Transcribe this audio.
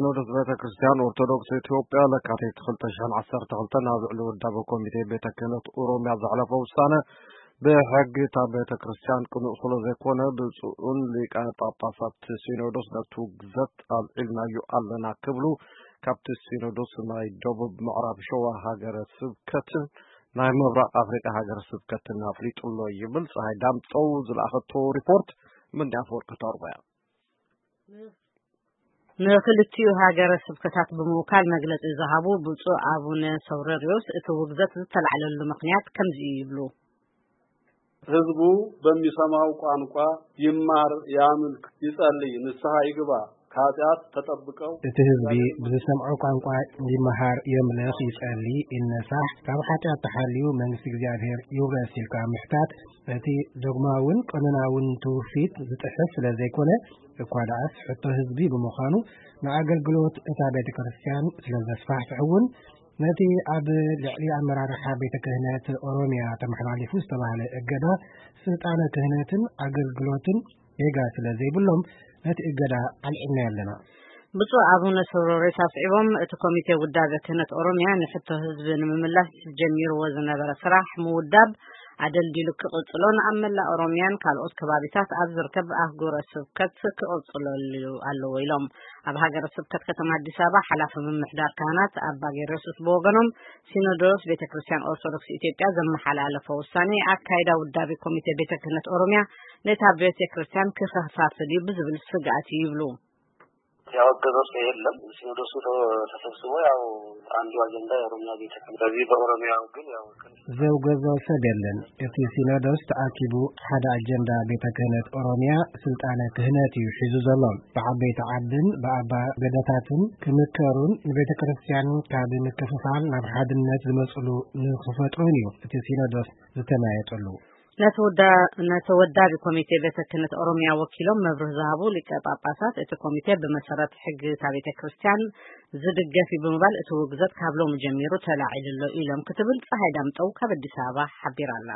ሲኖዶስ ቤተ ክርስቲያን ኦርቶዶክስ ኢትዮጵያ ለካቲት ክልተ ሽሕን ዓሰርተ ክልተን ኣብ ልዕሊ ውዳበ ኮሚቴ ቤተ ክህነት ኦሮሚያ ዘሕለፈ ውሳነ ብሕጊ እታ ቤተ ክርስቲያን ቅኑዕ ስለ ዘይኮነ ብፁዕን ሊቀ ጳጳሳት ሲኖዶስ ነቲ ውግዘት ኣልዒልናዮ ኣለና ክብሉ ካብቲ ሲኖዶስ ናይ ደቡብ ምዕራብ ሸዋ ሃገረ ስብከትን ናይ ምብራቕ ኣፍሪቃ ሃገረ ስብከትን ኣፍሊጡ ኣሎ ይብል። ፀሃይ ዳምፀው ዝለኣኸቶ ሪፖርት ምንዲ ኣፈወርቂ ተርቦ እያ። ንክልቲኡ ሃገረ ስብከታት ብምውካል መግለጺ ዝሃቡ ብፁዕ ኣቡነ ሰውረርዮስ እቲ ውግዘት ዝተላዕለሉ ምኽንያት ከምዚ እዩ ይብሉ። ህዝቡ በሚሰማው ቋንቋ ይማር፣ ያምልክ፣ ይጸልይ፣ ንስሐ ይግባ፣ ከኃጢአት ተጠብቀው። እቲ ህዝቢ ብዝሰምዖ ቋንቋ ይመሃር፣ የምልኽ፣ ይጸሊ፣ ይነሳሕ፣ ካብ ኃጢአት ተሓልዩ መንግስቲ እግዚኣብሔር ይውረስ ኢልካ ምሕታት ነቲ ዶግማውን ቀኖናውን ትውፊት ዝጥሕስ ስለ ዘይኮነ፣ እኳ ደኣስ ሕቶ ህዝቢ ብምዃኑ ንኣገልግሎት እታ ቤተ ክርስቲያን ስለ ዘስፋሕፍሕ እውን ነቲ ኣብ ልዕሊ ኣመራርሓ ቤተ ክህነት ኦሮሚያ ተመሓላሊፉ ዝተባህለ እገዳ ስልጣነ ክህነትን ኣገልግሎትን ጌጋ ስለ ዘይብሎም ነቲ እገዳ ኣልዒልናዮ ኣለና። ብፁዕ ኣቡነ ሰውረርዮስ ኣስዒቦም እቲ ኮሚቴ ውዳበ ክህነት ኦሮሚያ ንሕቶ ህዝቢ ንምምላስ ጀሚርዎ ዝነበረ ስራሕ ምውዳብ ኣደልዲሉ ክቕጽሎን ኣብ መላእ ኦሮሚያን ካልኦት ከባቢታት ኣብ ዝርከብ ኣህጉረ ስብከት ክቕጽለሉ ኣለዎ ኢሎም። ኣብ ሃገረ ስብከት ከተማ ኣዲስ ኣበባ ሓላፊ ምምሕዳር ካህናት ኣባ ጌርዮስስ ብወገኖም ሲኖዶስ ቤተ ክርስቲያን ኦርቶዶክስ ኢትዮጵያ ዘመሓላለፎ ውሳኔ ኣካይዳ ውዳቤ ኮሚቴ ቤተ ክህነት ኦሮሚያ ነታ ቤተ ክርስቲያን ክኸፋፍል እዩ ብዝብል ስግኣት እዩ ይብሉ። ያወገዘው ሰው የለም። ሲኖዶሱ ተሰብስቦ ያው አንዱ አጀንዳ የኦሮሚያ ቤተ ክህነት በዚህ በኦሮሚያው ግን ያው ዘውገዞ ሰብ የለን። እቲ ሲኖዶስ ተኣኪቡ ሓደ ኣጀንዳ ቤተ ክህነት ኦሮሚያ ስልጣነ ክህነት እዩ ሒዙ ዘሎ። ብዓበይቲ ዓድን ብኣባ ገደታትን ክምከሩን ንቤተ ክርስቲያን ካብ ምክፍፋል ናብ ሓድነት ዝመፅሉ ንክፈጥሩን እዩ እቲ ሲኖዶስ ዝተመያየጠሉ። ነቲ ውዳ- ነቲ ወዳቢ ኮሚቴ ቤተ ክህነት ኦሮሚያ ወኪሎም መብርህ ዝሃቡ ሊቀ ጳጳሳት፣ እቲ ኮሚቴ ብመሰረት ሕጊ እታ ቤተ ክርስቲያን ዝድገፍ እዩ ብምባል እቲ ውግዘት ካብ ሎሚ ጀሚሩ ተላዒሉ ኣሎ ኢሎም ክትብል ፀሃይ ዳምጠው ካብ ኣዲስ ኣበባ ሓቢራ ኣላ።